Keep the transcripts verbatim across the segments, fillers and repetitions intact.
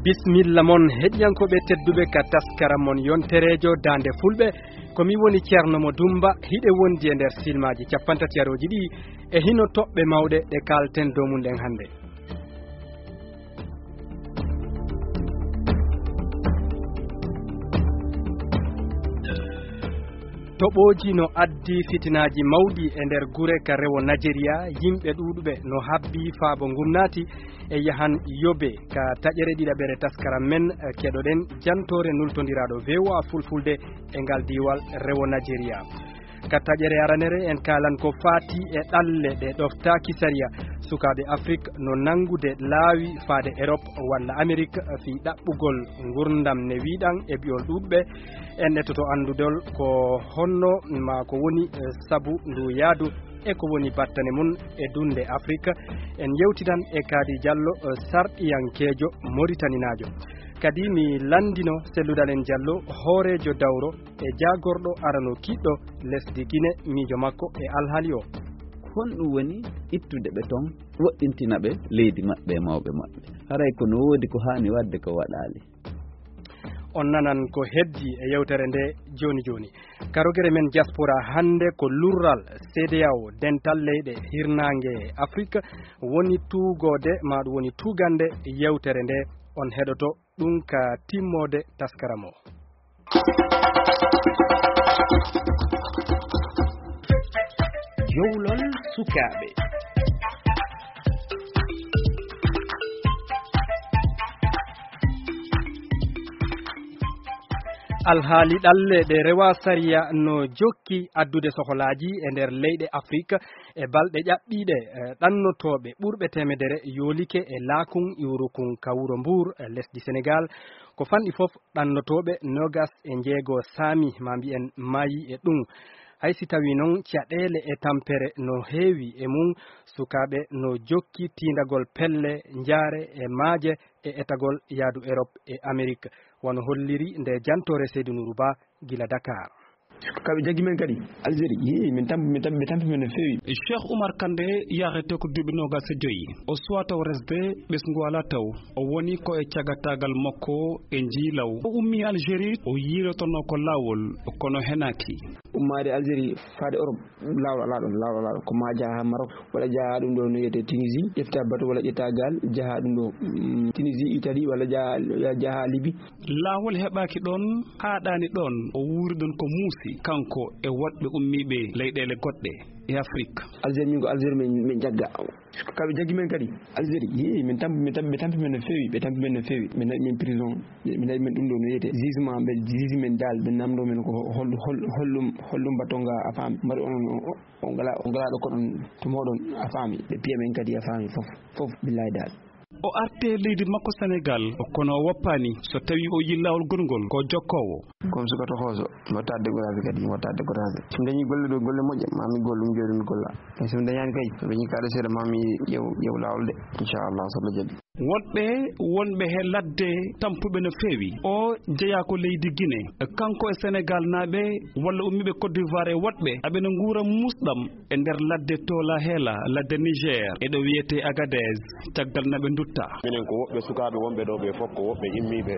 Bismilla mon, heɗiyankooɓe tedduɓe, ka taskaram mon yontereejo Daande Fulɓe. Ko mi woni Ceerno Mo Dumba, hiɗe wondi e nder silmaaji cappantatarooji ɗi e hino toɓɓe mawɗe ɗe kaalten dow mum ɗen hannde. Toɓooji no addi fitinaaji mawɗi e nder gure ka rewo Najeriya, yimɓe ɗuuɗuɓe no habbi faabo ngum naati e yahan Yobe ka taƴere ɗiɗaɓere taskaram men, eh, keɗoɗen jantoore nultondiraaɗo V O A Fulfulde e ngal diiwal rewo Najeriya. Ka taƴere aranere en kaalan ko faati e ɗalle ɗe ɗoftaaki sariya. Sukaaɓe Afrik no nanngude laawi faade Erop walla Amerik fii ɗaɓɓugol ngurndam ne wiiɗan e bi'ol ɗuuɗuɓe. En etoto anndudol ko honno maa ko woni, eh, sabu ndu yaadu e ko woni battane mum e dunde Afrik. En yewtidan e Kaadi Jallo, eh, sarɗiyankeejo Moritaninaajo. Kadi mi lanndino selludal en Jallo, hooreejo dawro e jaagorɗo arano kiɗɗo lesdi Gine, miijo makko e alhaali o. Honɗum woni ittude ɓe ton, woɗɗintina ɓe leydi maɓɓe e mawɓe maɓɓe? Haray ko no woodi ko haani waɗde ko waɗaali. On nanan ko heddi e yewtere nde jooni jooni. Ka rogere men diaspora hannde ko lurral C D A O, dental leyɗe hirnaange Afrik, woni tuugoode, maa ɗum woni tuugande yewtere nde. On heɗoto ɗum ka timmoode taskaram o. Jowlol sukaaɓe. Alhaali ɗalle ɗe rewa sariya no jokki addude soholaaji e nder leyɗe Afrik. E balɗe ƴaɓɓiiɗe, eh, ɗannotooɓe ɓurɓe teemedere yoolike e Laakun Iwrukun ka wuro Mbuur, eh, lesdi Senegaal. Ko fanɗi fof, ɗannotooɓe noogas e njeego saami, maa mbiyen, maayi e ɗum. Hay si tawii noon caɗeele e tampere no heewi e mum, sukaaɓe no jokki tiindagol pelle, njaare e maaje e etagol yaadu Erop e Amerik, wano holliri nde jantoore Seydu Nuuru Ba gila Dakar. Ka ɓe jaggi men kadi Algérie, yii, min tampi, min tampi, ɓe tampi men no feewi. Cheikh Oumar Kandé yahrete ko duuɓi noogas e joyi. O suwaa taw resde ɓesngu alaa taw. O woni ko e cagataagal makko e njii law. O ummii Algérie, o yiilotonoo ko laawol, kono henaaki. Ummaade Algérie faade Europe, laawol alaa ɗon, laawol alaa ɗon. Ko maa jaha haa Maroc, walla jaha ɗum ɗo no wiyetee Tunisie, ƴefta bato walla ƴetta gaal, jaha ɗum ɗo, mm, Tunisie, Italie, walla jaha, jaha Libye. Laawol heɓaaki ɗon, haaɗaani ɗon, o wuuri ɗon ko muusi, kanko e woɗɓe ummiiɓe leyɗeele goɗɗe e Afrik. Algérie, min ko Algérie min, min jagga. Ka ɓe jaggi men kadi Algérie, yii, min tampi, min tampi, ɓe tampi men no feewi, ɓe tampi men no feewi. Ɓe naɓi men prison, ɓe, ɓe naɓi men ɗum ɗo no wiyetee jugement, ɓe juge men daal, ɓe namndoo men ko hol-, hol-, holɗum, holɗum mbaɗton ga, a faami, mbaɗi onon o, o, on ngalaa, on ngalaa ɗo koɗon to mooɗon, a faami, ɓe piya men kadi, a faami, fof, fof, billahi daal. O arti e leydi makko Senegaal, kono o woppaani. So tawii o yiyi laawol gongol, ko jokkoowo. Comme suka toxooso, mi waɗataa découragé kadi, mi waɗataa découragé. So mi dañii golle ɗo, golle moƴƴe, maa mi gollu, mi jooɗo mi golla. Mais so mi dañaani kay, so mi dañii kaalis seeɗa, maa mi ƴeew, ƴeew laawol de, inchallah, so Allah jaɓi. Woɗɓe wonɓe he ladde tampuɓe no feewi. O jeyaa ko leydi Gine. Kanko e Senegaal naaɓe walla ummiiɓe Côte d'Ivoire e woɗɓe, aɓe no nguura muusɗam e nder ladde Tola Hela, ladde Niger, e ɗo wiyetee Agadez, caggal na ɓe ndutta. Minen ko woɓɓe sukaaɓe wonɓe ɗo ɓe fof, ko woɓɓe immiiɓe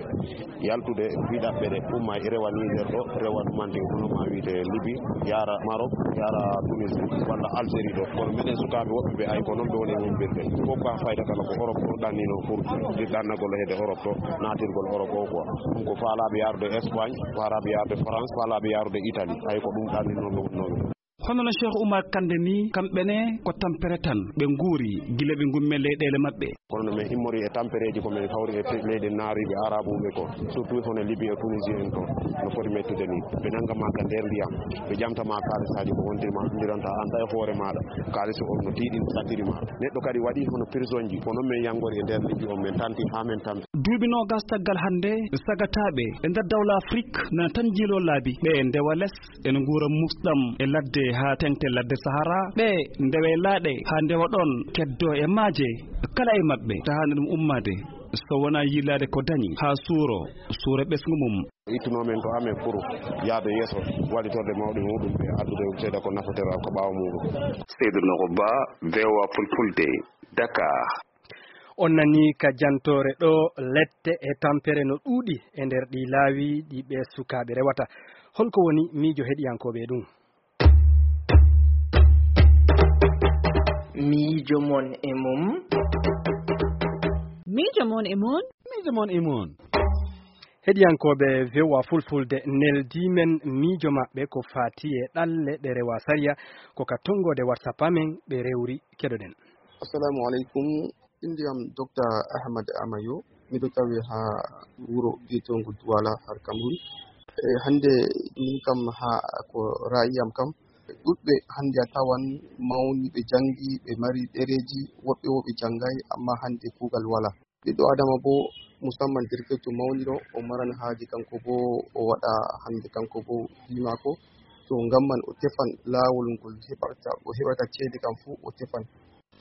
yaltude ɗiɗaɓɓe ɗe, umma e rewa Niger ɗo, rewa ɗumanti hono ma wiyetee Libi, yaara Maroc, yaara Tunisie, walla Algérie ɗo. Kono minen sukaaɓe woɓɓe ɓe, ay ko noon ɓe woni e humpirde. Fof ko haa fayda kala ko Europe ɗo ɗannino pour ɗannagol heede Europe ɗo, naatirgol Europe o quoi. Ɗum ko faalaaɓe yaarude Espagne, faalaaɓe yaarude France, faalaaɓe yaarude Italie. Ay ko ɗum ɗannino ɓe wonnooɓe. Hono no Cheikh Oumar Kandé ni, kamɓe ne ko tampere tan ɓe nguuri gila ɓe ngummi e leyɗeele maɓɓe. Kono no min immori e tampereeji ko min hawri e te-, leyɗe naariiɓe arabuɓe ko, surtout hono Libi e Tunisie en ko, no foti mettude ni. Ɓe nannga ma ka nder ndiyam, ɓe ƴamta ma kaalisaaji ko wonti ma anndiranta an tawi hoore maaɗa. Kaalis on no tiiɗi, no saɗɗiri ma. Neɗɗo kadi waɗi hono prisonji, ko noon min yanngori e nder Libi on, min tanti haa min tampi. Duuɓi noogas caggal hannde, sagataaɓe e nder dawla Afrik nana tan njiiloo laabi, ɓe ndewa les, ene nguura muusɗam e ladde haa teŋti ladde Sahara. Ɓe ndewa e laaɗe haa ndewa ɗoon, keddoo e maaje. Kala e maɓɓe tahaani ɗum ummaade so wonaa yiilaade ko dañi haa suuro, suura ɓesngu mum. Ittunoo men to amen pour yaade yeeso, wallitorde mawɗi muɗum ɓe, addude seeɗa ko nafotera ko ɓaawo muɗum. Seydou Nourou Ba, V O A Fulfulde, Dakar. On nanii ka jantoore ɗo lette e tampere no ɗuuɗi e nder ɗii laawi ɗi ɓee sukaaɓe rewata. Hol ko woni miijo heɗiyankooɓe e ɗum? Miijo mon e mum. Miijo mon e mum. Miijo mon e mum. Heɗiyankooɓe V O A Fulfulde, neldii men miijo maɓɓe ko faati e ɗalle ɗe rewaa sariya, ko ka tonngoode WhatsApp amen ɓe rewri. Keɗoɗen. Assalamu aleykum. Innde am Dokta Ahmad Amayo. Miɗo tawi haa wuro biyeteego Duwala, har Cameroun. E hannde min kam, haa ko ra'ayi am kam, ɗuɗɓe hannde a tawan mawni, ɓe janngi, ɓe mari ɗereeji, woɓɓe wo ɓe janngaay, amma hannde kuugal walaa. Ɓiɗɗo Adama boo, musamman derkeejo mawniiɗo, o maran haaje kanko boo o waɗa hannde kanko boo fii maako. To ngam man o tefan laawol ngol heɓata, o heɓata ceede kam fuu o tefan.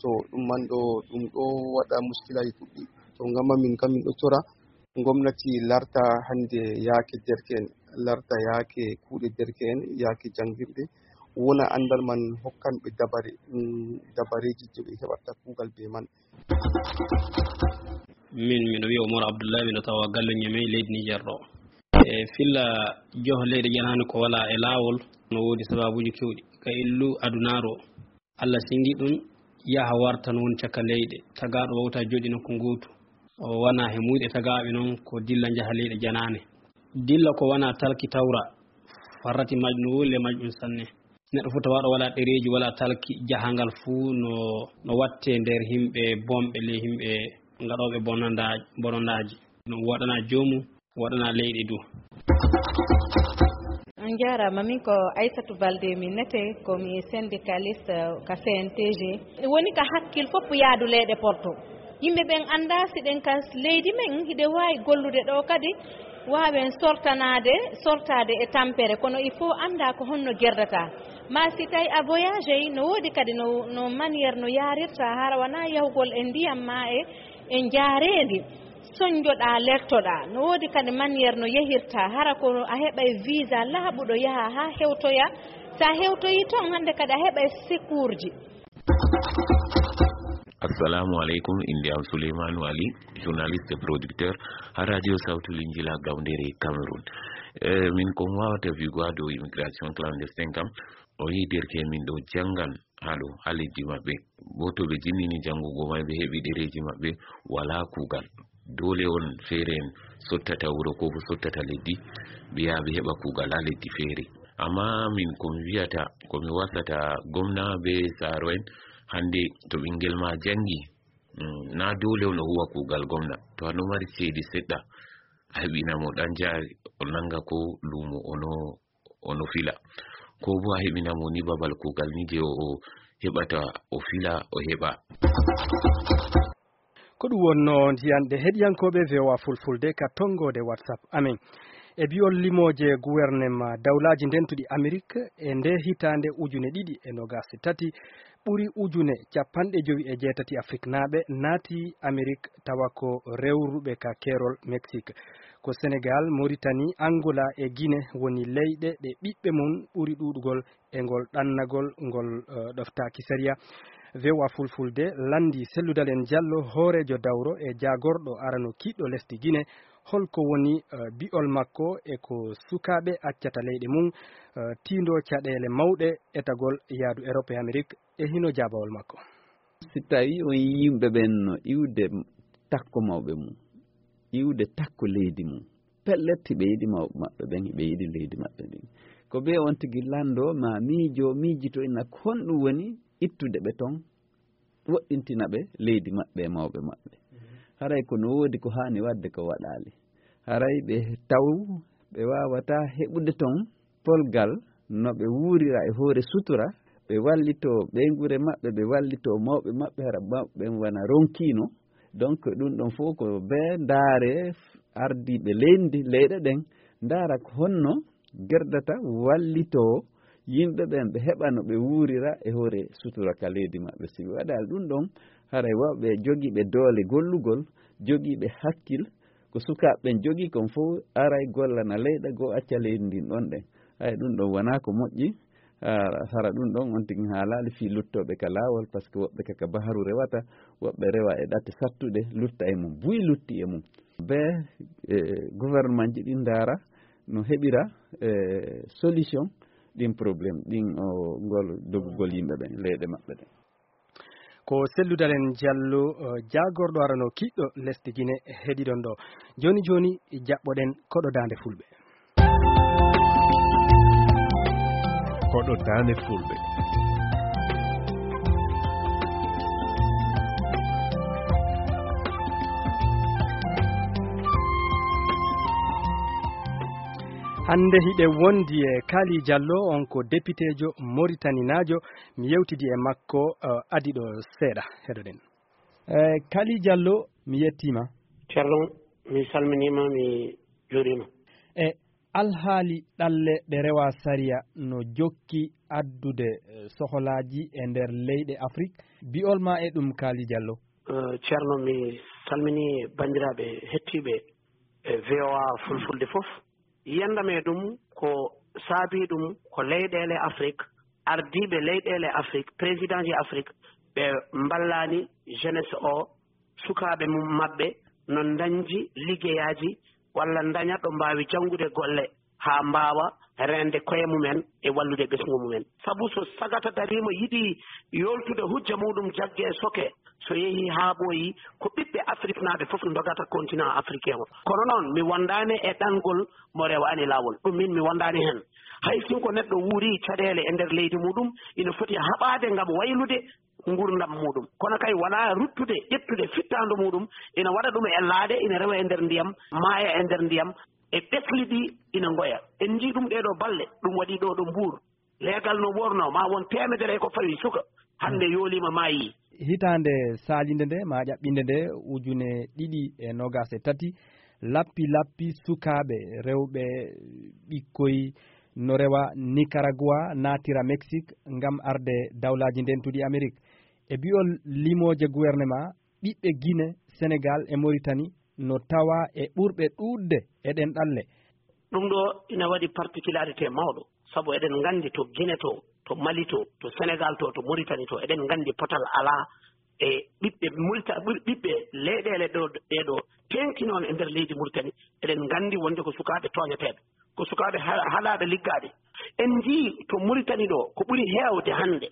So ɗum man ɗo, ɗum ɗo waɗa muskilaaji ɗuɗɗi. To ngam man min kam min ɗo tora ngomnati larta hannde yaake derke'en, larta yaake kuuɗe derke'en, yaake janngirde, wona anndal man hokkan ɓe dabare, mm, dabareeji je ɓe heɓata kuugal bee man. Min, miɗo wiya Umar Abdullahi, miɗo tawa galle Ñamey, leydi Niger ɗo. E filla joho leyɗe ƴanaande ko wala e laawol, no woodi sababuuji keewɗi. Ka illu adunaaru o, Allah sigi ɗum yaha warta noon caka leyɗe. Tagaaɗo wawta jooɗi nokku gootu. O wana he muyɗe tagaaɓe noon ko dilla njaha leyɗe ƴanaande. Dilla ko wana talki tawra, farrati majjum no wuli e majjum sanne. Neɗɗo fof tawaɗo wala ɗereeji, wala talki, jahangal fuu no, no watte nder yimɓe bonɓe, ley yimɓe ngaɗooɓe bononda-, bonondaaji. No waɗana joomum, waɗana leyɗe du. On njaaraama, min ko Aissatou Baldé mi nete, ko mi syndicaliste ka C N T G. Woni ka hakkil fof yaadu leyɗe Porto. Yimɓe ɓen anndaa si ɗen ka leydi men hiɗe waawi gollude ɗo kadi, waawen sortanaade, sortaade e tampere, kono il faut anndaa ko honno gerdata. Ma si tawi a voyagey, no woodi kadi no, no manière no yaarirta, hara wonaa yahugol e ndiyam ma e, e njaareendi. Soñjoɗaa, lertoɗaa. No woodi kadi manière no yehirta, hara ko a heɓay visa laaɓuɗo yaha haa hewtoya. Sa hewtoyi toon, hannde kadi a heɓay secours ji. Assalamu aleykum, innde am Souleymane Wali, journaliste et producteur ha radio Sawtu Linjila, Gawndere, Cameroun. Eh, min ko mi wawata wi'ugo ha dow immigration clandestine kam, o yi derke min ɗo jangan ha ɗo, ha leddi maɓɓe. Bo to ɓe jinnini jangugo mai, ɓe heɓi ɗereji maɓɓe, wala kugal. Dole on feere en sottata wuro ko bo sottata leddi, ɓe yaha ɓe heɓa kugal ha leddi feere. Amma min ko mi wi'ata, ko mi wasata gomna be saaro en, hande to ɓingel ma jangi, mm, na dole on o huwa kugal gomna. To a no mari ceede seɗɗa, a heɓina mo ɗan jaari, o nanga ko lumo o no, o no fila. Ko bo a heɓina mo ni babal kugal ni je o, o heɓata, o fila, o heɓa. Ko ɗum wonno njiyanɗe heɗiyankooɓe V O A Fulfulde ka tonngoode WhatsApp amen. E bi'ol limooje guwernema dawlaaji ndentuɗi Amerik, e nde hitaande ujune ɗiɗi e noogaas e tati, ɓuri ujune capanɗe jowi e jeetati Afriknaaɓe naati Amerik, tawa ko rewruɓe ka keerol Mexique. Ko Senegal, Mauritanie, Angola e Guinée woni leyɗe ɗe ɓiɓɓe mum ɓuri ɗuuɗugol e ngol ɗannagol ngol, eh, ɗoftaaki sariya. V O A Fulfulde lanndii Sellou Dalein Diallo, hooreejo dawro e jaagorɗo arano kiiɗɗo lesdi Guinée, hol ko woni, eh, bi'ol makko e ko sukaaɓe accata leyɗe mum, eh, tiindoo caɗeele mawɗe etagol yaadu Europe e Amerik, e hino jaabawol makko. Si tawii on yimɓe ɓen no iwde takko mawɓe mum, iwde takko leydi mum, pellet, hiɓe yiɗi mawɓe maɓɓe ɓen, hiɓe yiɗi leydi maɓɓe ndin. Ko ɓe on tigi lanndoo ma miijo, miijito ina ko honɗum woni ittude ɓe ton, woɗɗintina ɓe leydi maɓɓe e mawɓe maɓɓe. Haray ko no woodi ko haani waɗde ko waɗaali. Haray ɓe taw ɓe waawataa heɓude ton polgal no ɓe wuurira e hoore sutura, ɓe wallitoo ɓeynguure maɓɓe, ɓe wallitoo mawɓe maɓɓe, hara mawɓe ɓen wona ronkiino. Donc, ɗum ɗon fof ko ɓe ndaare ardiiɓe leydi, leyɗe ɗen, ndaara ko honno gerdata wallitoo yimɓe ɓen, ɓe heɓa no ɓe wuurira e hoore sutura ka leydi maɓɓe. Si ɓe waɗaali ɗum ɗon, haray wawɓe jogiiɓe doole gollugol, jogiiɓe hakkil, ko sukaaɓe ɓen jogii kon fof, aray gollana leyɗe goo, acca leydi ndin ɗon ɗen. Hay ɗum ɗon wonaa ko moƴƴi, Hara, hara ɗum ɗon on tigi haalaali fii luttooɓe ka laawol, par ce que woɓɓe ka, ka baharu rewata, woɓɓe rewa e ɗate sattuɗe, lutta e mum, buy lutti e mum. Be, e, gouvernement ji ɗin ndaara no heɓira, e, solution ɗin problème, ɗin o ngol dogugol yimɓe ɓen, leyɗe maɓɓe ɗen. Ko Selludalen Jallo, eh, jaagorɗo arano kiɗɗo lesdi Gine heɗiɗon ɗo. Jooni jooni jaɓɓoɗen koɗo daande fulɓe. Koɗo daande fulɓe. Hannde hiɗe wondi e Kali Jallo, on ko depiteejo moritaninaajo. Mi yewtidi e makko, eh, adii ɗo seeɗa. Heɗoɗen. Eh, Kali Jallo, mi yettiima. Ceerno, mi salminiima, mi juuriima. E alhaali ɗalle ɗe rewa sariya no jokki addude, eh, soholaaji e nder leyɗe Afrik. Bi'ol ma e ɗum, Kali Jallo? Eh, Ceerno, mi salminii banndiraaɓe hettiiɓe e V O A Fulfulde fof. Yiyannda me ɗum ko saabii ɗum ko leyɗeele Afrik, ardiiɓe leyɗeele Afrik, président ji Afrik, ɓe mballaani jeunesse o, sukaaɓe mum maɓɓe, no ndañji liggeyaaji walla ndaña ɗo mbaawi janngude golle haa mbaawa reende koye mumen e wallude ɓesngu mumen. Sabu so sagata dariima yiɗi yoltude hujja muɗum jagge e soke, so yehii haa ɓooyi, ko ɓiɓɓe Afriknaaɓe fof ndogata continent africain o. Kono noon, mi wondaani e ɗangol mo rewaani laawol. Ɗum min mi wondaani heen. Hay sinko neɗɗo wuuri caɗeele e nder leydi muɗum, ina foti haɓaade ngam waylude nguurndam muɗum. Kono kay wonaa ruttude, ƴettude fittaandu muɗum, ina waɗa ɗum e laaɗe, ina rewa e nder ndiyam, maaya e nder ndiyam, e ɓesli ɗi ina ngoya. En njii ɗum ɗee ɗoo balɗe, ɗum waɗi ɗoo ɗo Mbuur. Leegal no wornoo, ma won teemedere e ko fawi suka, hannde yooliima, maayii. Hitaande saalinde nde, ma ƴaɓɓinde nde, ujune ɗiɗi e noogas e tati, lappi lappi sukaaɓe rewɓe ɓikkoy no rewa Nicaragua, naatira Mexique ngam arde Dawlaaji Ndentuɗi Amerik. E bi'ol limooje gouvernement, ɓiɓɓe Gine, Senegal e Mauritanie no tawa e ɓurɓe ɗuuɗde e ɗen ɗalle. Ɗum ɗo ina waɗi particularité mawɗo, sabu eɗen nganndi to Gine to, to Mali to, to Senegal to, to Mauritanie to, eɗen nganndi potal alaa e ɓiɓɓe Murita-, ɓiɓɓe leyɗeele ɗo, ɗee ɗo teeŋtinoo e nder leydi Mauritanie. Eɗen nganndi wonde ko sukaaɓe tooñeteeɓe, ko sukaaɓe ha-, haɗaaɓe liggaaɓe. En njii to Mauritanie ɗo, ko ɓuri heewde hannde,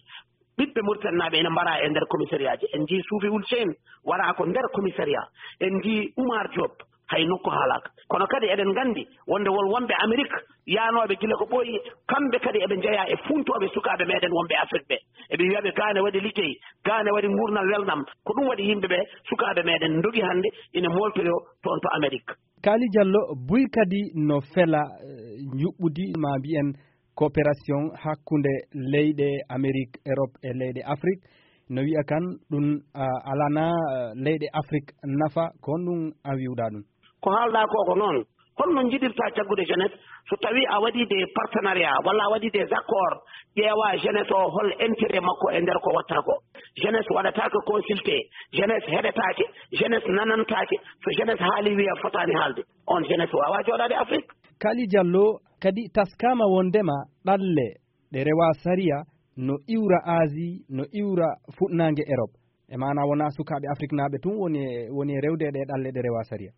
ɓiɓɓe Mauritanie naaɓe ene mbara e nder commissariat ji. En njii Suufi Wul Seen wara ko nder commissariat. En njii Oumar Diop, hay nokku haalaaka. Kono kadi eɗen nganndi wonde won wonɓe Amerik yaanooɓe gila ko ɓooyi, kamɓe kadi eɓe njeyaa e funtooɓe sukaaɓe meɗen wonɓe Afrik ɓe. Eɓe wiya ɓe gaane waɗi liggey, gaane waɗi nguurndam welnam. Ko ɗum waɗi yimɓe ɓe, sukaaɓe meɗen ndogi hannde ina mooltoyoo toon to Amerik. Kali Jallo, buy kadi no fela, eh, njuɓɓudi, ma mbiyen, coopération hakkunde leyɗe Amerik, Erop e leyɗe Afrik. No wiya kan ɗum, ah, alana, ah, leyɗe Afrik nafa, ko honɗum a wiwɗa ɗum? Ko haalɗaa ko, ko noon. Holno njiɗirta jaggude jeunesse so tawii a waɗii des partenariats walla a waɗii des accords, ƴeewa jeunesse o hol intérêt makko e nder ko watta ko? Jeunesse waɗataake consulté, jeunesse heɗetaake, jeunesse nanantaake. So jeunesse haali wiya fotaani haalde, on jeunesse waawaa jooɗaade Afrik. Kali Jallo, kadi taskaama wondema ɗalle ɗe rewa sariya no iwra Asie, no iwra fuɗnaange Erop. E maana wonaa sukaaɓe Afriknaaɓe tun woni e, woni e rewde e ɗe ɗalle ɗe rewa sariya.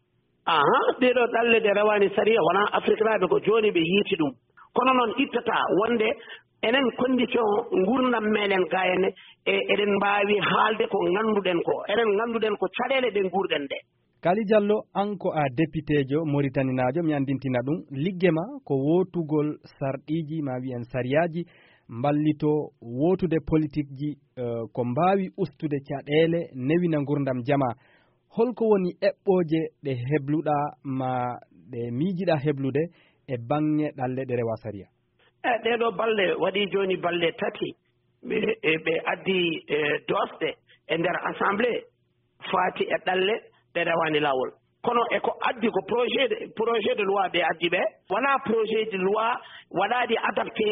Aha, ɗee ɗoo ɗalle ɗe rewaani sariya wonaa Afriknaaɓe, ko jooni ɓe yiiti ɗum. Kono noon ittataa wonde enen condition nguurndam meɗen ga henne, e eɗen mbaawi haalde ko ngannduɗen ko. Enen ngannduɗen ko caɗeele ɗe nguurɗen ɗe. Kali Jallo, an ko a depiteejo moritaninaajo, mi anndintina ɗum, ligge ma ko wootugol sarɗiiji, ma wiyen sariyaaji, mballitoo wootude politikji, eh, ko mbaawi ustude caɗeele, newina nguurndam jamaa. Holko woni eɓɓooje ɗe hebluɗaa ma ɗe miijiɗaa heblude e baŋŋe ɗalle ɗe rewa sariya? E ɗee ɗoo balɗe, waɗii jooni balɗe tati, ɓe, e, ɓe addi, e, doosɗe e nder assemblée faati e ɗalle ɗe rewaani laawol. Kono e ko addi ko projet de, projet de loi ɓe addi ɓe, wonaa projet de loi waɗaaɗi adapté,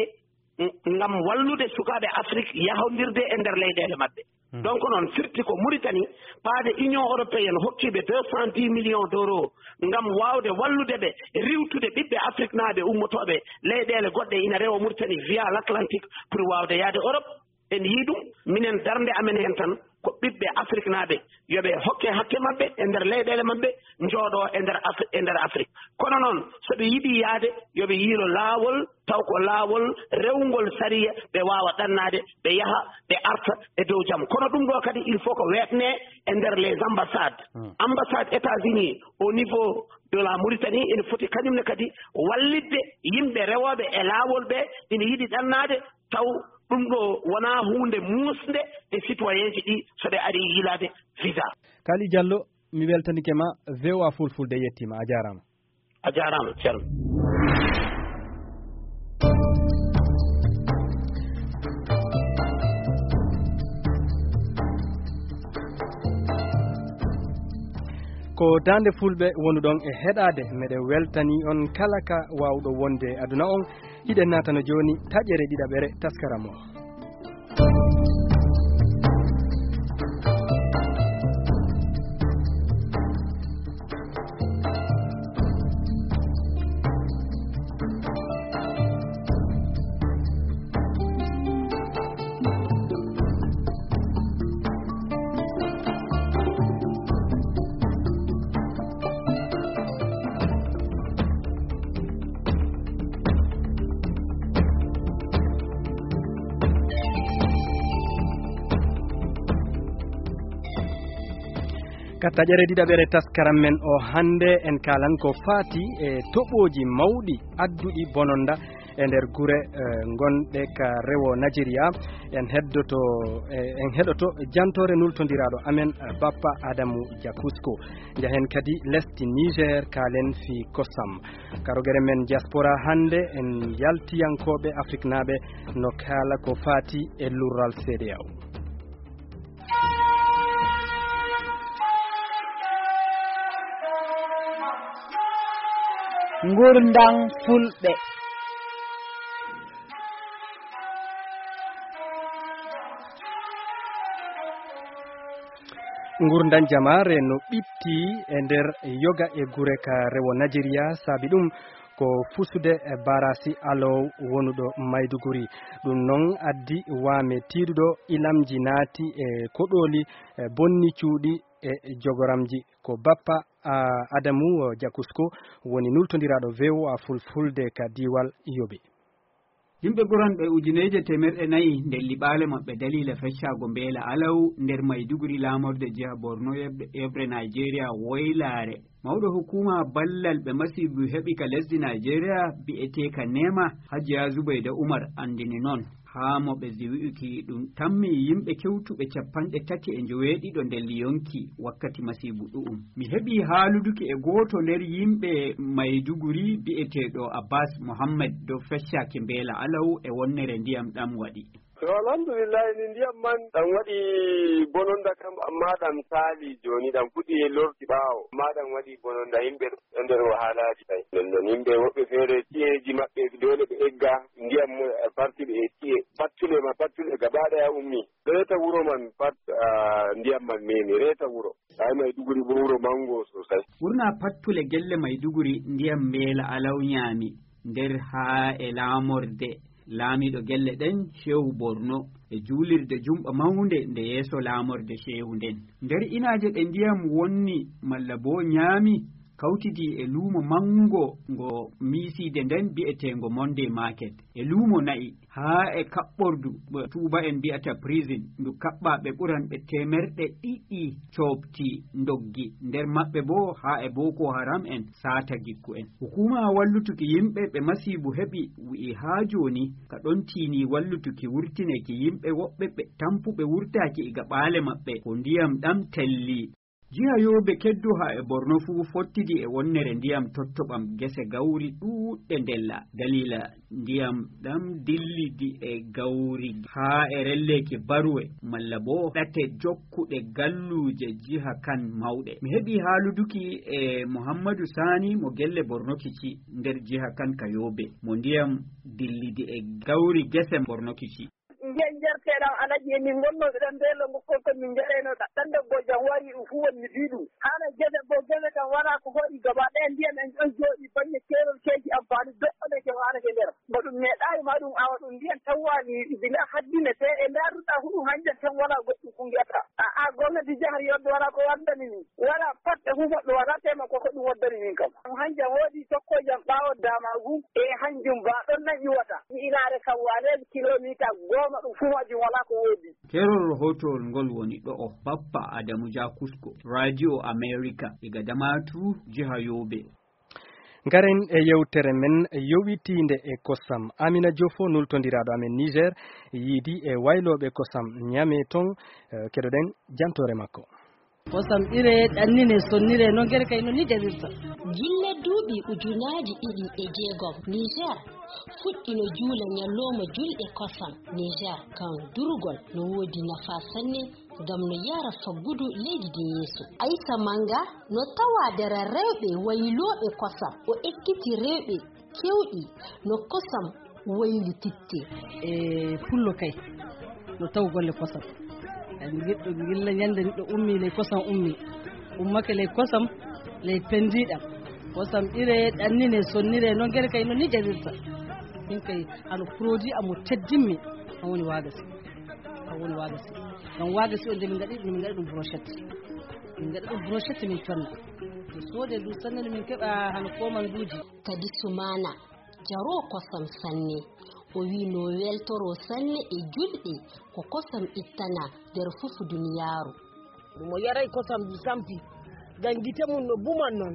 mm, ngam wallude sukaaɓe Afrik yahondirde e nder leyɗeele maɓɓe. Donc noon firti ko Mauritanie, paade Union européenne hokkiiɓe deux cent dix millions d'euros ngam waawde wallude ɓe riiwtude ɓiɓɓe Afriknaaɓe ummotooɓe leyɗeele goɗɗe ina rewa Mauritanie via l'Atlantique pour waawde yahde Europe. En yii ɗum, minen darnde amen heen tan ko ɓiɓɓe Afriknaaɓe yo ɓe hokke hakke maɓɓe e nder leyɗeele maɓɓe, njooɗo e nder Afri-, e nder Afrik. Kono noon, so ɓe yiɗi yahde, yo ɓe yiilo laawol, taw ko laawol rewngol sariya, ɓe waawa ɗannaade, ɓe yaha, ɓe arta e dow jam. Kono ɗum ɗo kadi, il faut ko weetne e nder les ambassades. Hmm. Ambassade États-Unis au niveau de la Mauritanie ene foti kañum ne kadi wallitde yimɓe rewooɓe e laawol ɓe ina yiɗi ɗannaade, taw ɗum ɗo wonaa huunde muusnde e citoyenji ɗi so ɓe ari yiilaade visa. Kali Diallo, mi weltanike ma. V O A Fulfulde yettiima, a jaaraama. A jaaraama, Ceerno. Ko Daande Fulɓe wonuɗon e heɗaade, meɗen weltani on kala ka waawɗo wonde e aduna on. Hiɗen naatano jooni taƴere ɗiɗaɓere taskaram o. Ka taƴere ɗiɗaɓere taskaram men o hannde, en kaalan ko faati e toɓooji mawɗi adduɗi bononda e nder gure, eh, ngonɗe ka rewo Najeriya. En heddoto, eh, en heɗoto jantoore nultondiraaɗo amen, eh, Bappa Adamu Jakusko. Njahen kadi lesdi Niger, kaalen fii kosam. Ka rogere men diaspora hannde, en yaltiyankooɓe Afriknaaɓe no kaala ko faati e lurral C D A O. Ngurndam Fulɓe. Ngurndam jamaare no ɓitti e nder yoga e gure ka rewo Najeriya. Saabi ɗum ko fusude e barasi alow wonuɗo Maiduguri. Ɗum noon addi waame tiiɗuɗo, ilamji naati e koɗooli, e bonni cuuɗi e jogoramji. Ko Bappa, a, Adamu Jakusko woni nultondiraaɗo V O A Fulfulde ka diiwal Yobe. Yimɓe ɓuranɓe ujineeje teemerɗe nayi ndelli ɓaale maɓɓe daliila feccaago mbeela alaw nder Maiduguri, laamorde jiha Borno, yeɓre, yeɓre Nigeria woylaare. Mawɗo hukuma ballal ɓe masiibu heɓi ka lesdi Nigeria, bi'eteeka Nema, Hajiya Zubayda Umar, anndini noon. Haa mo ɓesdi wi'uki ɗum tammi yimɓe kewtuɓe capanɗe tati e njoweeɗiɗo nder liyonki wakkati masiibu ɗu'um. Mi heɓi haaluduki e gooto nder yimɓe Maiduguri bi'eteeɗo Abbas Mohammed dow feccaaki mbeela alaw e wonnere ndiyam ɗam waɗi. To, alhamdulillahi, ni ndiyam man ɗam waɗi bononda kam, amma ɗam saali jooni, ɗam fuɗɗi e lorti ɓaawo, amma ɗam waɗi bononda yimɓe ɗo e nder wahalaaji kay. Nden non yimɓe woɓɓe feere ci'eji maɓɓe doole ɓe egga, ndiyam mo-, farti ɓe e ci'e. Pattule ma, pattule gaba ɗaya ummi. Reeta wuro man pat, ah, ndiyam man memi, reeta wuro. Ay, Maiduguri bo wuro mango sosai. Ɓurna pattule gelle Maiduguri ndiyam mbeela alaw nyaami, nder haa e laamorde laamiiɗo gelle ɗen, Shehu Borno, e juulirde jumɓa mawnde nde yeeso laamorde Shehu nden. Nder inaaje ɗe ndiyam wonni malla bo nyaami, kawtidi e luumo manngo ngo miisiide nden bi'eteengo Monday Market, e luumo na'i, haa e kaɓɓordu mo tuuba'en mbi'ata prison, ndu kaɓɓaaɓe ɓuranɓe teemerɗe ɗiɗi coopti ndoggi, nder maɓɓe boo haa e Boko Haram en saata gikku'en. Hukuma wallutuki yimɓe ɓe masiibu heɓi wi'i haa jooni ka ɗon tiini wallutuki wurtineeki yimɓe woɓɓe ɓe tampuɓe wurtaaki iga ɓaale maɓɓe ko ndiyam ɗam telli. Jiha Yobe keddu haa e Borno fuu fottidi e wonnere ndiyam tottoɓam gese gawri ɗuuɗɗe ndella. Daliila ndiyam ɗam dillidi e gawri haa e relleeki baruwe malla boo ɗate jokkuɗe galluuje jiha kan mawɗe. Mi heɓi haaluduki e Muhammadu Sani mo gelle Borno Kici nder jiha kan ka Yobe, mo ndiyam dillidi e gawri gese Borno Kici. Ndiyan njarteɗan alaji e min ngonnooɓe ɗan nde longo kon ko min njarayno ɗan ɗan debbo jam wari ɗum fuu won mi fii ɗum. Haana gese goo gese kam walaa ko hoɗi gaba ɗaya ndiyan en ɗon jooɗi baŋŋe keerol keeci amfaani doɗɗo ɗe ke waanake nder. Mo ɗum meeɗaayi ma ɗum awa ɗum ndiyan tawwaani bila haddine te e ndaaruɗaa huɗum hanjan tan walaa goɗɗum ko ngi'ataa. A a gomnati jahar yodde walaa ko waddani min. Walaa pat e huumoɗɗo walaa tema ko ko ɗum waddani min kam. Hanjan woodi tokkoojam ɓaawo daamaagu e hanjum ba ɗon nan iwata. Mi inaare kam waaleeji kilomiita gooma ɗum fuu majum walaa ko woodi. Kerol rahootowol ngol woni ɗo'o. Bappa Adamu Jakusko, Radio America, iga Damaturu, jiha Yobe. Ngaren e yewtere men yowitiinde e kosam. Amina Jofo, nultondiraaɗo amen Niger, yiidi e waylooɓe kosam Ñame ton, eh, keɗoɗen jantoore makko. Kosam ire, ɗannine, sonnire, no ngere kay no ni jarirta. Gilla duuɓi ujunaaji ɗiɗi e jeegom, Niger fuɗɗino juula ñallooma julɗe kosam. Niger kan durugol no woodi nafa sanne ngam no yara faggudu leydi din yeeso. Aysa Manga no tawa dara rewɓe waylooɓe kosam. O ekkiti rewɓe kewɗi no kosam waylititte. E pullo kay no taw golle kosam. Kadi giɗɗo gilla ñande neɗɗo ummi ley kosam ummi. Ummake ley kosam, ley pendiɗam. Kosam ire, ɗannine, sonnire, no ngere kay no ni jarirta. Min kay hano produit amo teddimmi, an woni waagasi. An woni waagasi. Ngam waagasi o nde min ngaɗi, min ngaɗi ɗum brochette. Min ngaɗi ɗum brochette min conna. Min soode ndu sanne no min keɓa hano komanduuji. Kadi Sumaana jaroo kosam sanne. O wi'i no weltoroo sanne e julɗe ko kosam ittana nder fufu duniyaaru. Mo yaray kosam du sampi, ngam gite mum no buman non.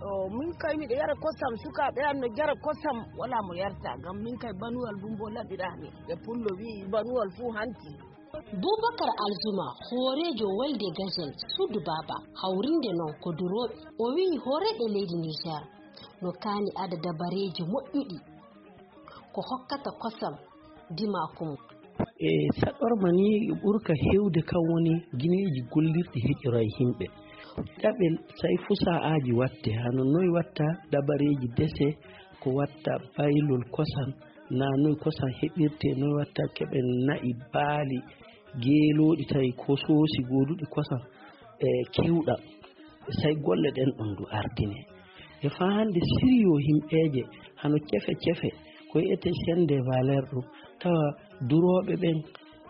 O, min kay miɗo yara kosam, sukaaɓe am no jara kosam, walaa mo yarta, ngam min kay banuwal bumbo laɓiraani. E pullo wi'i banuwal fuu hanti. Bubakar Alzuma, hooreejo wolde Gazel Suudu Baaba, hawrinde non ko durooɓe. O wi'i hooreeɓe leydi Niger no kaani ada dabareeji moƴƴuɗi ko hokkata kosam dimaaku mum. E saɗorma ni ɓurka heewde kan woni gineeji gollirɗi heƴora e yimɓe. Ɗaɓel say fusa'aaji watte, hano noy watta dabareeji dese, ko watta baylol kosam, na noy kosam heɓirte, noy watta keɓen na'i, baali, geelooɗi tawi ko soosi gooduɗi kosam e kewɗam. Say golle ɗen ɗon du ardine. E faa hannde siriyo himɓeeje hano cefe cefe, ko wi'etee chaîne de valeur ɗum, tawa durooɓe ɓen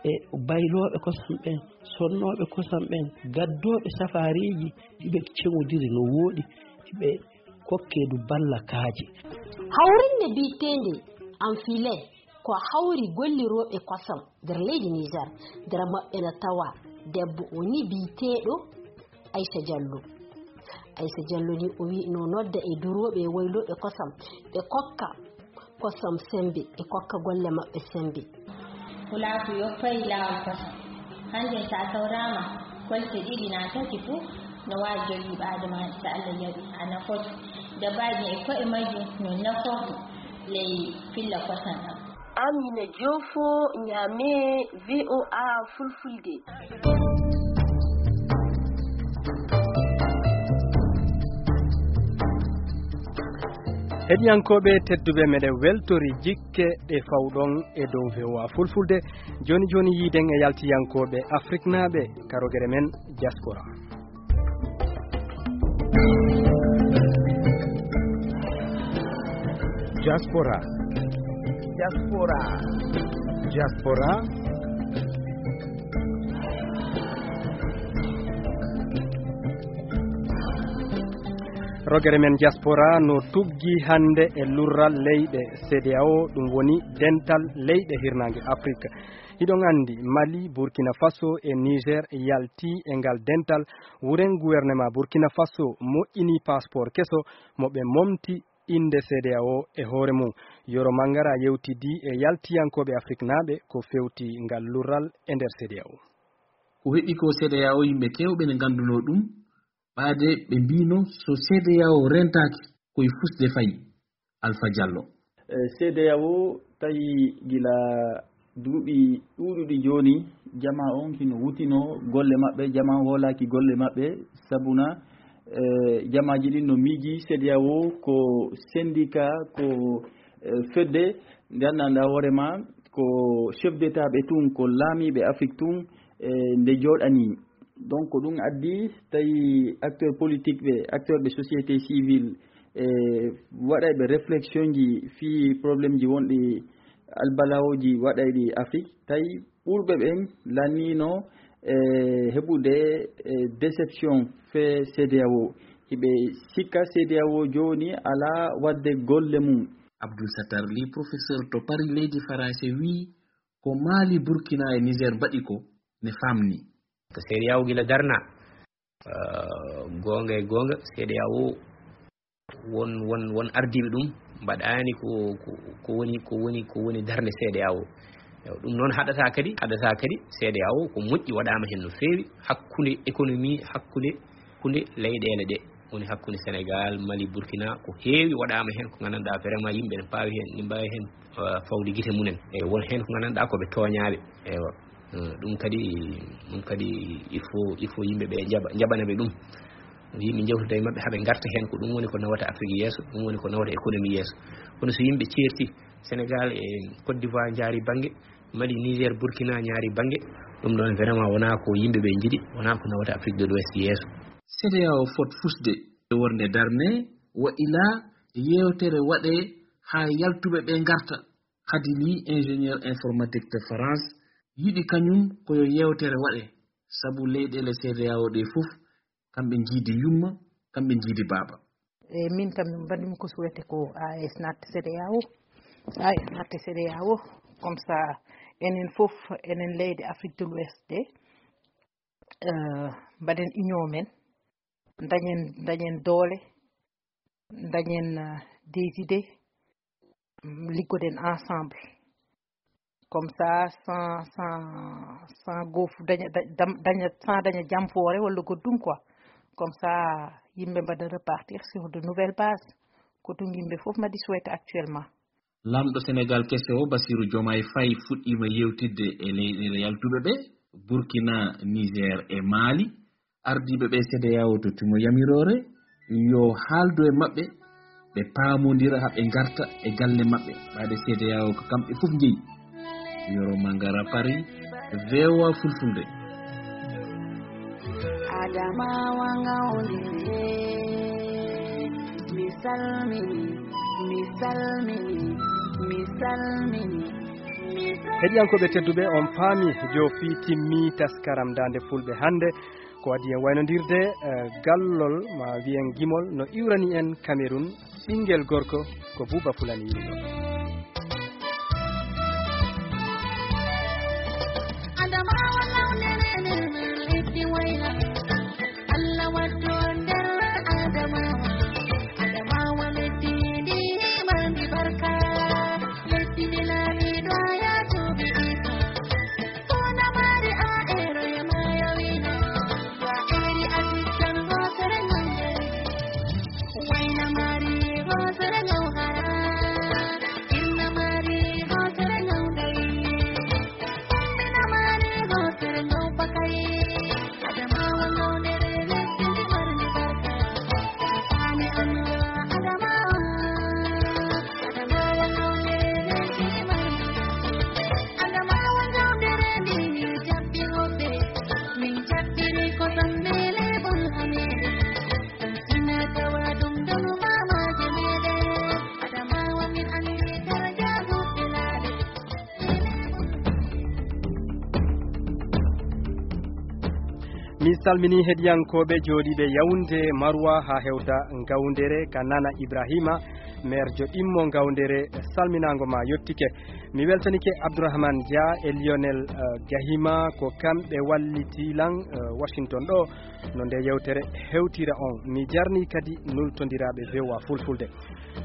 e baylooɓe kosam ɓen, sonnooɓe kosam ɓen, gaddooɓe safaariiji, hiɓe ceŋodiri no wooɗi, hiɓe kokkee du balla kaaji. Hawrinde bi'eteende Anfile ko hawri gollirooɓe kosam nder leydi Niger. Nder maɓɓe na tawa debbo o ni bi'eteeɗo Aisha Jallo. Aisha Jallo ni o wi'i no nodda e durooɓe e waylooɓe kosam, ɓe kokka kosam sembe, ɓe kokka golle maɓɓe sembe. Pulaaku yoppay laawol kosam. Hanjum sa sawraama kolte ɗiɗi naa tati fuu, no waawi jogii ɓaade ma, so Allah jaɓi, a nafoto. Dabaaji e ko'e majjum no nafoto ley filla kosam ɗam. Amina Jofo, Ñaame, V O A Fulfulde. Heɗiyankooɓe tedduɓe, meɗen weltori jikke ɗe fawɗon e dow V O A Fulfulde. Jooni jooni yiiden e yaltiyankooɓe Afriknaaɓe ka rogere men Diaspora. Diaspora. Diaspora. Diaspora. Rogere men Diaspora no tuggi hannde e lurral leyɗe C D A O, ɗum woni dental leyɗe hirnaange Afrik. Hiɗon anndi, Mali, Burkina Faso e Niger yalti e ngal dental. Wuren gouvernement Burkina Faso moƴƴini passeport keso mo ɓe momti innde C D A O e hoore mum. Yoro Mangara yewtidi e yaltiyankooɓe Afriknaaɓe ko fewti ngal lurral e nder C D A O. Ko heɓi ko C D A O yimɓe keewɓe ne nganndunoo ɗum, ɓaade ɓe mbiino so C D A O rentaaki ko e fusde fayi. Alpha Diallo. E, C D A O tawi gila duuɓi ɗuuɗuɗi jooni, jamaa on hino wutinoo golle maɓɓe, jamaa on hoolaaki golle maɓɓe, sabuna, e, jamaaji ɗin no miiji C D A O ko syndicat, ko, e, fedde nde anndanɗaa hoore maa ko chef d'État ɓe tun, ko laamiiɓe Afrik tun, e nde jooɗanii. Donc, ko ɗum addi tawi acteur politique ɓe, acteur ɓe société civile, e waɗayɓe réflexion ji fii problème ji wonɗi albalawooji waɗayɗi Afrik, tawi ɓurɓe ɓen lanniino e heɓude e déception fee C D A O. Hiɓe sikka C D A O jooni alaa waɗde golle mum. Abdul Sattar Ly, professeur to Paris, leydi Farayse, wiyi ko Mali, Burkina e Niger mbaɗi ko ne famni. Ko C D A O gila darna, eh, goonga e goonga, C D A O won, won, won ardiiɓe ɗum mbaɗaani ko, ko, ko woni, ko woni, ko woni darnde C D A O. Ewa, ɗum noon haɗata kadi, haɗata kadi C D A O ko moƴƴi waɗaama heen no feewi hakkunde économie, hakkunde, hakkunde leyɗeele ɗe, woni hakkunde Sénégal, Mali, Burkina, ko heewi waɗaama heen ko nganndanɗaa vraiment yimɓe ene mbaawi heen, ene mbaawi heen, eh, fawde gite mumen. E won heen ko nganndanɗaa ko ɓe tooñaaɓe. Ewa. Eh, ɗum kadi, ɗum kadi il faut, il faut yimɓe ɓe njaɓa, njaɓana ɓe ɗum. Yimɓe njewtida e maɓɓe haa ɓe ngarta heen, ko ɗum woni ko nawata Afrik yeeso, ɗum woni ko nawata économie yeeso. Kono so yimɓe ceerti, Sénégal e Côte d'Ivoire njaari bannge, Mali, Niger, Burkina njaari bannge, ɗum ɗoon vraiment wonaa ko yimɓe ɓe njiɗi, wonaa ko nawata Afrik de l'Ouest yeeso. C D A O fot fusde e wonde darne, wa ilaa yeewtere waɗee haa yaltuɓe ɓe ngarta. Khady Ly, ingénieur informatique to France, yiɗi kañum ko yo yeewtere waɗe, sabu leyɗeele C D A O ɗe fof, kamɓe njiidi yumma, kamɓe njiidi baaba. E min kam, min mbaɗmi ko souhaité ko A E S natta C D A O. A E S natta C D A O, comme ça, enen fof, enen leyɗe Afrique de l'Ouest ɗe, eh, mbaɗen union men, dañen, dañen doole, dañen, eh, des idées, mm, liggoɗen ensemble. Comme ça, sans, sans, sans goof, daña, da-, dam-, daña, sans daña jamfoore walla goɗɗum quoi. Comme ça, yimɓe mbaɗa repartir sur de nouvelles bases. Ko ɗum yimɓe fof mbaɗi souhaité actuellement. Laamɗo Sénégal keso o, Bassirou Diomaye Faye, fuɗɗiima yewtidde e leyɗeele yaltuɓe ɓe, Burkina, Niger e Mali. Ardiiɓe ɓe C D A O tottimo yamiroore yo haaldu e maɓɓe, ɓe paamondira haa ɓe ngarta e galle maɓɓe, ɓayde C D A O ko kamɓe fof njeyi. Yoro Mangara, Paris, V O A Fulfulde. Adamawa ngawde, mi salmini, mi salmini, mi salmini, mi salmini. Heɗiyankooɓe tedduɓe, on paami jo fii timmi taskaram Daande Fulɓe hannde. Ko adii en waynondirde, eh, gallol, ma wiyen gimol, no iwrani en Cameroun, ɓinngel gorko ko Buuba Fulani yimɗo. Adamawa lawnere nder lesdi wayla. Allah waddo nder Adamawa. Adamawa lesdi ndi marndi barka. Lesdi ndi laamiiɗo Ayaato Isa. Mi salmini heɗiyankooɓe jooɗiiɓe Yaoundé, Maroua haa hewta Ngawndere ka Nana Ibrahima, maire jo ɗimmo Ngawndere, salminaango ma yottike. Mi weltanike Abdourahmane Dia e Lionel, eh, Gahima, ko kamɓe walliti lan, eh, Washington ɗo, no nde yewtere hewtira on. Mi jarni kadi nultondiraaɓe V O A Fulfulde.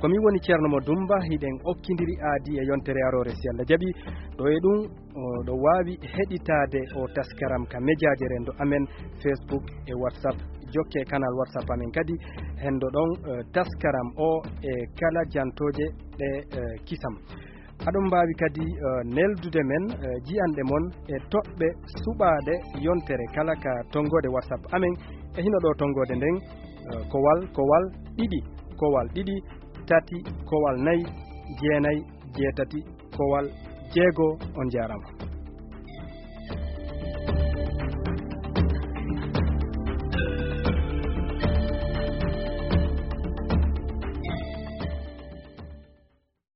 Ko min woni Ceerno Mo Dumba, hiɗen okkindiri aadi e yontere aroore si Allah jaɓi. Ɗo e ɗum, o, ɗo waawi heɗitaade o taskaram ka mejaaje renndo amen, Facebook e WhatsApp. Jokke kanal WhatsApp amen kadi, hendo ɗon, eh, taskaram o e kala jantooje ɗe, eh, kisam. Aɗon mbaawi kadi, eh, neldude men, eh, jiyanɗe mon e toɓɓe suɓaaɗe yontere kala ka tonngoode WhatsApp amen. E hino ɗo tonngoode nden, eh, kowal, kowal, ɗiɗi, kowal, ɗiɗi, tati, kowal, nayi, jeenayi, jeetati, kowal, jeego. On njaaraama.